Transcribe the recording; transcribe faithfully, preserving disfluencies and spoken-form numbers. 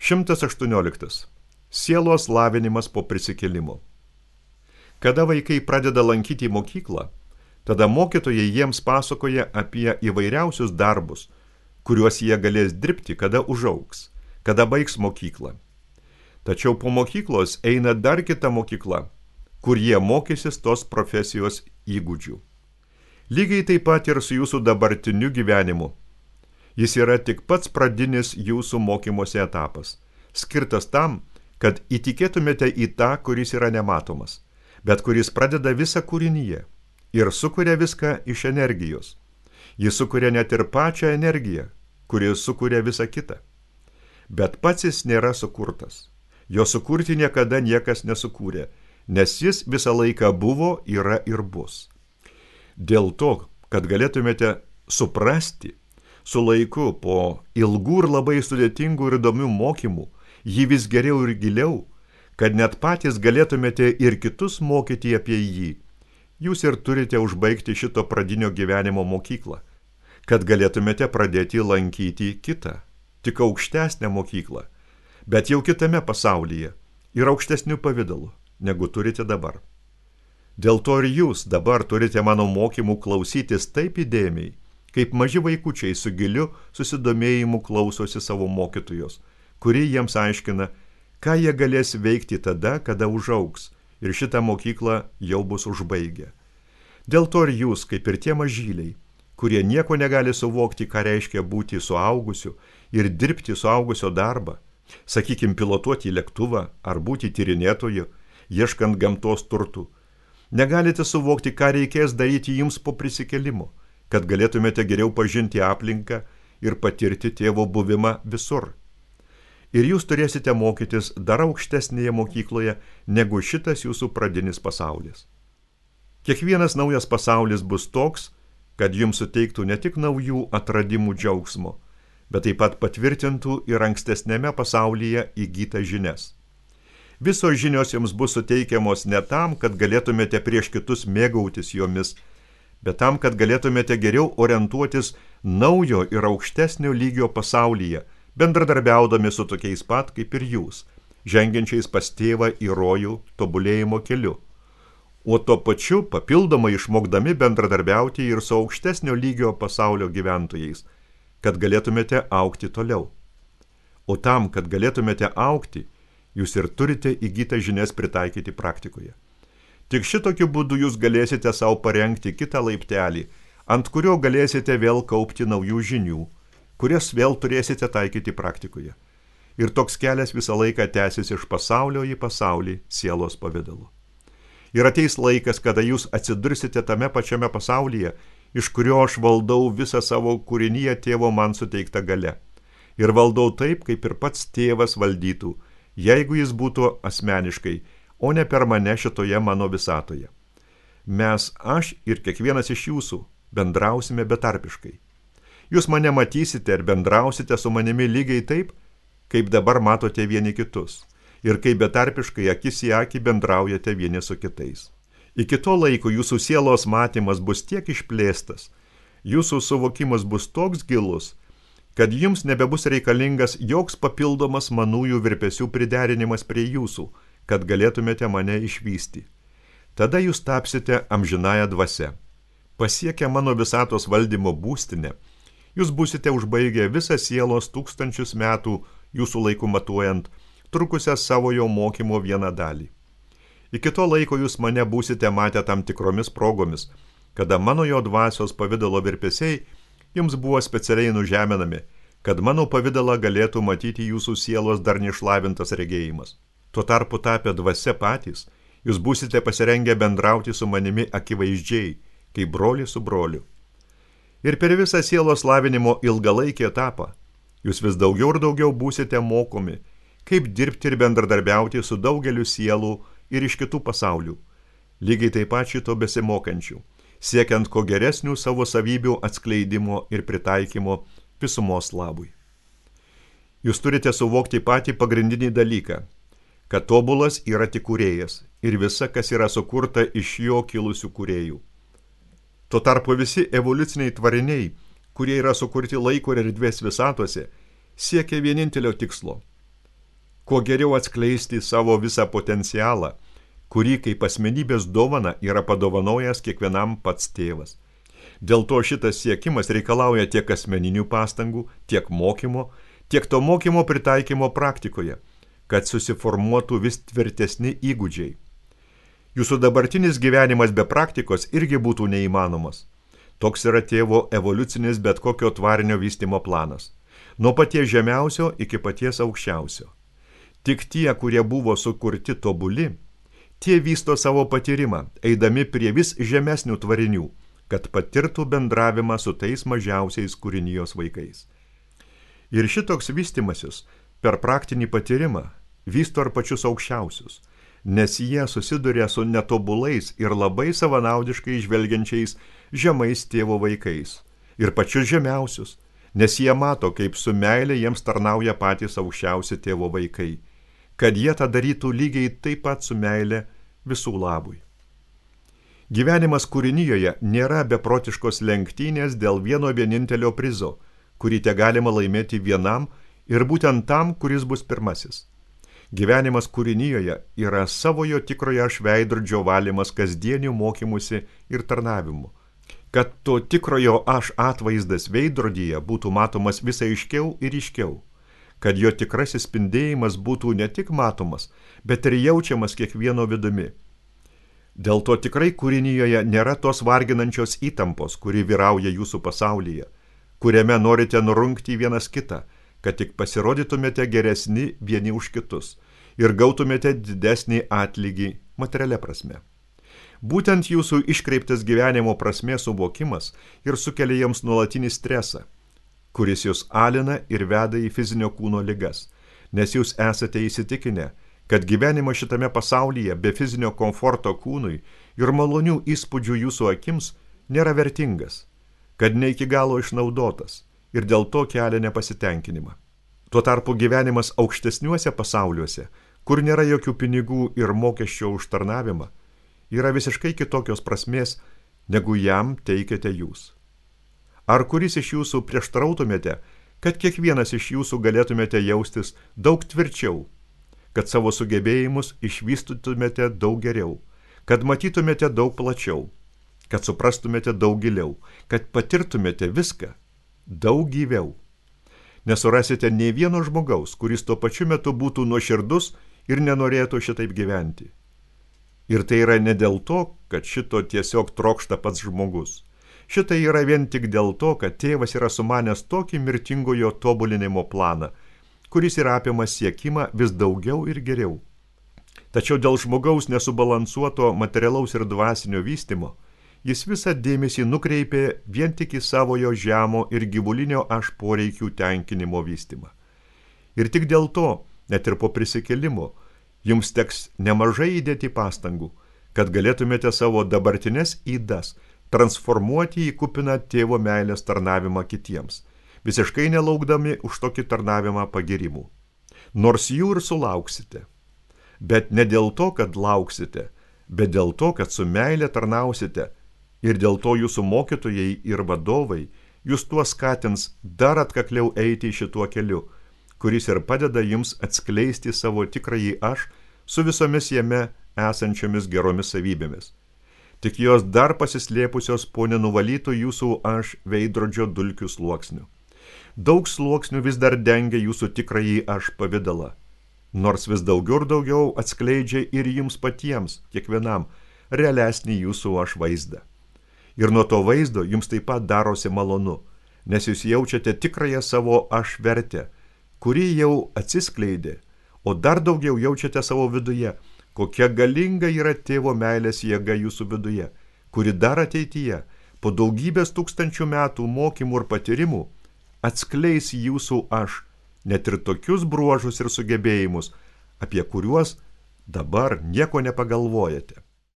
šimtas aštuonioliktas. Sielos lavinimas po prisikėlimo. Kada vaikai pradeda lankyti mokyklą, tada mokytojai jiems pasakoja apie įvairiausius darbus, kuriuos jie galės dirbti, kada užaugs, kada baigs mokyklą. Tačiau po mokyklos eina dar kita mokykla, kur jie mokysis tos profesijos įgūdžių. Lygiai taip pat ir su jūsų dabartiniu gyvenimu. Jis yra tik pats pradinis jūsų mokymosi etapas, skirtas tam, kad įtikėtumėte į tą, kuris yra nematomas, bet kuris pradeda visą kūrinyje ir sukuria viską iš energijos. Jis sukuria net ir pačią energiją, kuri sukuria visą kitą. Bet pats jis nėra sukurtas. Jo sukurti niekada niekas nesukūrė, nes jis visą laiką buvo, yra ir bus. Dėl to, kad galėtumėte suprasti, su laiku po ilgų ir labai sudėtingų ir įdomių mokymų, jį vis geriau ir giliau, kad net patys galėtumėte ir kitus mokyti apie jį. Jūs ir turite užbaigti šito pradinio gyvenimo mokyklą, kad galėtumėte pradėti lankyti kitą, tik aukštesnę mokyklą, bet jau kitame pasaulyje ir aukštesnių pavydalų, negu turite dabar. Dėl to ir jūs dabar turite mano mokymų klausytis taip įdėmiai, kaip maži vaikučiai su giliu susidomėjimu klausosi savo mokytojos, kuri jiems aiškina, ką jie galės veikti tada, kada užaugs, ir šitą mokyklą jau bus užbaigę. Dėl to ir jūs, kaip ir tie mažyliai, kurie nieko negali suvokti, ką reiškia būti suaugusiu ir dirbti suaugusio darbą, sakykim, pilotuoti lėktuvą ar būti tyrinėtoju, ieškant gamtos turtų, negalite suvokti, ką reikės daryti jums po prisikėlimo, kad galėtumėte geriau pažinti aplinką ir patirti tėvo buvimą visur. Ir jūs turėsite mokytis dar aukštesnėje mokykloje, negu šitas jūsų pradinis pasaulis. Kiekvienas naujas pasaulis bus toks, kad jums suteiktų ne tik naujų atradimų džiaugsmo, bet taip pat patvirtintų ir ankstesnėme pasaulyje įgytas žinias. Visos žinios jums bus suteikiamos ne tam, kad galėtumėte prieš kitus mėgautis jomis, bet tam, kad galėtumėte geriau orientuotis naujo ir aukštesnio lygio pasaulyje, bendradarbiaudami su tokiais pat kaip ir jūs, žengiančiais pas tėvą į rojų tobulėjimo keliu, o tuo pačiu papildomai išmokdami bendradarbiauti ir su aukštesnio lygio pasaulio gyventojais, kad galėtumėte augti toliau. O tam, kad galėtumėte augti, jūs ir turite įgytą žinias pritaikyti praktikoje. Tik šitokiu būdu jūs galėsite savo parengti kitą laiptelį, ant kurio galėsite vėl kaupti naujų žinių, kurias vėl turėsite taikyti praktikoje. Ir toks kelias visą laiką tęsis iš pasaulio į pasaulį sielos pavidalu. Ir ateis laikas, kada jūs atsidursite tame pačiame pasaulyje, iš kurio aš valdau visą savo kūrinyje tėvo man suteiktą gale. Ir valdau taip, kaip ir pats tėvas valdytų, jeigu jis būtų asmeniškai, o ne per mane šitoje mano visatoje. Mes, aš ir kiekvienas iš jūsų, bendrausime betarpiškai. Jūs mane matysite ir bendrausite su manimi lygiai taip, kaip dabar matote vieni kitus, ir kaip betarpiškai akis į akį bendraujate vieni su kitais. Iki to laiko jūsų sielos matymas bus tiek išplėstas, jūsų suvokimas bus toks gilus, kad jums nebebus reikalingas joks papildomas manųjų virpesių priderinimas prie jūsų, kad galėtumėte mane išvysti. Tada jūs tapsite amžinąja dvasia. Pasiekę mano visatos valdymo būstinę, jūs būsite užbaigę visą sielos tūkstančius metų jūsų laiku matuojant, trukusią savo jo mokymo vieną dalį. Iki to laiko jūs mane būsite matę tam tikromis progomis, kada mano jo dvasios pavidalo virpesiai jums buvo specialiai nužeminami, kad mano pavidalą galėtų matyti jūsų sielos dar neišlavintas regėjimas. Tuo tarpu tapę dvasia patys, jūs būsite pasirengę bendrauti su manimi akivaizdžiai, kaip broli su broliu. Ir per visą sielos lavinimo ilgalaikį etapą jūs vis daugiau ir daugiau būsite mokomi, kaip dirbti ir bendradarbiauti su daugeliu sielų ir iš kitų pasaulių, lygiai taip pat šito besimokančių, siekiant ko geresnių savo savybių atskleidimo ir pritaikymo visumos labui. Jūs turite suvokti patį pagrindinį dalyką, kad tobulas yra tik kūrėjas ir visa, kas yra sukurta iš jo kilusių kūrėjų. Tuo tarpu visi evoliuciniai tvariniai, kurie yra sukurti laiko ir erdvės visatose, siekia vienintelio tikslo kuo geriau atskleisti savo visą potencialą, kurį kaip asmenybės dovana yra padovanojęs kiekvienam pats tėvas. Dėl to šitas siekimas reikalauja tiek asmeninių pastangų, tiek mokymo, tiek to mokymo pritaikymo praktikoje, kad susiformuotų vis tvirtesni įgūdžiai. Jūsų dabartinis gyvenimas be praktikos irgi būtų neįmanomas. Toks yra tėvo evoliucinis bet kokio tvarinio vystymo planas. Nuo paties žemiausio iki paties aukščiausio. Tik tie, kurie buvo sukurti tobuli, tie vysto savo patyrimą, eidami prie vis žemesnių tvarinių, kad patirtų bendravimą su tais mažiausiais kūrinijos vaikais. Ir šitoks vystimasis per praktinį patyrimą vysto ir pačius aukščiausius, nes jie susiduria su netobulais ir labai savanaudiškai žvelgiančiais žemais tėvo vaikais, ir pačius žemiausius, nes jie mato, kaip su meilė jiems tarnauja patys aukščiausi tėvo vaikai, kad jie tą darytų lygiai taip pat su meilė visų labui. Gyvenimas kūrinijoje nėra beprotiškos lenktynės dėl vieno vienintelio prizo, kurį te galima laimėti vienam ir būtent tam, kuris bus pirmasis. Gyvenimas kūrinijoje yra savojo tikrojo aš veidrodžio valymas kasdienių mokymusi ir tarnavimu, kad to tikrojo aš atvaizdas veidrodyje būtų matomas vis aiškiau ir ryškiau, kad jo tikrasis spindėjimas būtų ne tik matomas, bet ir jaučiamas kiekvieno vidumi. Dėl to tikrai kūrinijoje nėra tos varginančios įtampos, kuri vyrauja jūsų pasaulyje, kuriame norite nurungti vienas kitą, kad tik pasirodytumėte geresni vieni už kitus ir gautumėte didesnį atlygį materialia prasme. Būtent jūsų iškreiptas gyvenimo prasmės suvokimas ir sukelia jiems nuolatinį stresą, kuris jūs alina ir veda į fizinio kūno ligas, nes jūs esate įsitikinę, kad gyvenimas šitame pasaulyje be fizinio komforto kūnui ir malonių įspūdžių jūsų akims nėra vertingas, kad ne iki galo išnaudotas ir dėl to kelia nepasitenkinimą. Tuo tarpu gyvenimas aukštesniuose pasauliuose, kur nėra jokių pinigų ir mokesčio už tarnavimą, yra visiškai kitokios prasmės, negu jam teikiate jūs. Ar kuris iš jūsų prieštarautumėte, kad kiekvienas iš jūsų galėtumėte jaustis daug tvirčiau, kad savo sugebėjimus išvystytumėte daug geriau, kad matytumėte daug plačiau, kad suprastumėte daug giliau, kad patirtumėte viską daug gyviau. Nesurasite nei vieno žmogaus, kuris tuo pačiu metu būtų nuoširdus ir nenorėtų šitaip gyventi. Ir tai yra ne dėl to, kad šito tiesiog trokšta pats žmogus. Šitai yra vien tik dėl to, kad tėvas yra sumanęs tokį mirtingojo tobulinimo planą, kuris yra apima siekimą vis daugiau ir geriau. Tačiau dėl žmogaus nesubalansuoto materialaus ir dvasinio vystymo, jis visą dėmesį nukreipė vien tik į savojo žemo ir gyvulinio aš poreikių tenkinimo vystymą. Ir tik dėl to, net ir po prisikėlimo, jums teks nemažai įdėti pastangų, kad galėtumėte savo dabartines ydas transformuoti į kupiną tėvo meilės tarnavimą kitiems, visiškai nelaukdami už tokį tarnavimą pagirimų. Nors jų ir sulauksite, bet ne dėl to, kad lauksite, bet dėl to, kad su meilė tarnausite ir dėl to jūsų mokytojai ir vadovai jūs tuo skatins dar atkakliau eiti šituo keliu, kuris ir padeda jums atskleisti savo tikrąjį aš su visomis jame esančiomis geromis savybėmis. Tik jos dar pasislėpusios po nenuvalytų jūsų aš veidrodžio dulkių sluoksnių. Daug sluoksnių vis dar dengia jūsų tikrąjį aš pavidalą, nors vis daugiau ir daugiau atskleidžia ir jums patiems, kiekvienam, realesnį jūsų aš vaizdą. Ir nuo to vaizdo jums taip pat darosi malonu, nes jūs jaučiate tikrąją savo aš vertę, kuri jau atsiskleidė, o dar daugiau jaučiate savo viduje, kokia galinga yra tėvo meilės jėga jūsų viduje, kuri dar ateityje, po daugybės tūkstančių metų mokymų ir patyrimų, atskleis jūsų aš, net ir tokius bruožus ir sugebėjimus, apie kuriuos dabar nieko nepagalvojate.